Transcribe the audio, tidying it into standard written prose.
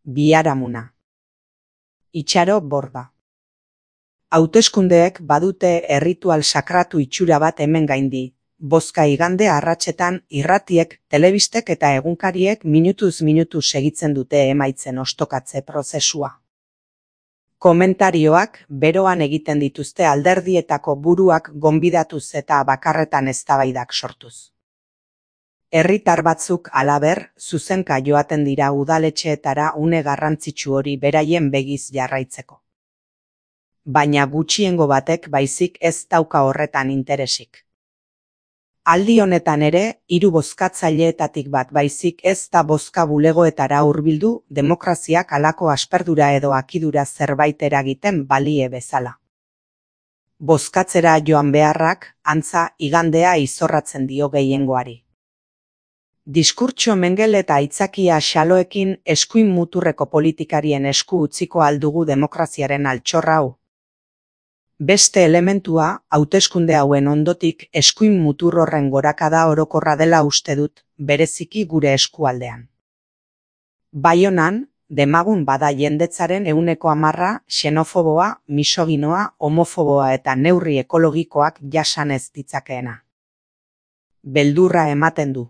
Biharamuna. Itxaro Borda. Hauteskundeek badute erritual sakratu itxura bat hemen gaindi. Bozka igande arratsetan irratiek, telebistek eta egunkariek minutuz minutu segitzen dute emaitzen ostokatze prozesua. Komentarioak beroan egiten dituzte alderdietako buruak gonbidatuz eta bakarretan eztabaidak sortuz. Herritar batzuk halaber, zuzenka joaten dira udaletxeetara une garrantzitsu hori beraien begiz jarraitzeko. Baina gutxiengo batek baizik ez dauka horretan interesik. Aldi honetan ere, 3 bozkatzaileetatik bat baizik ez da bozka bulegoetara hurbildu demokraziak halako asperdura edo akidura zerbait eragiten balie bezala. Bozkatzera joan beharrak, antza, igandea izorratzen dio gehiengoari. Diskurtso mengel eta aitzakia xaloekin eskuin muturreko politikarien esku utziko aldugu demokraziaren altxorra hau. Beste elementua, hauteskunde hauen ondotik eskuin mutur horren gorakada orokorra dela uste dut, bereziki gure eskualdean. Baionan, demagun bada jendetzaren 10% xenofoboa, misoginoa, homofoboa eta neurri ekologikoak jasan ez ditzakeena. Beldurra ematen du.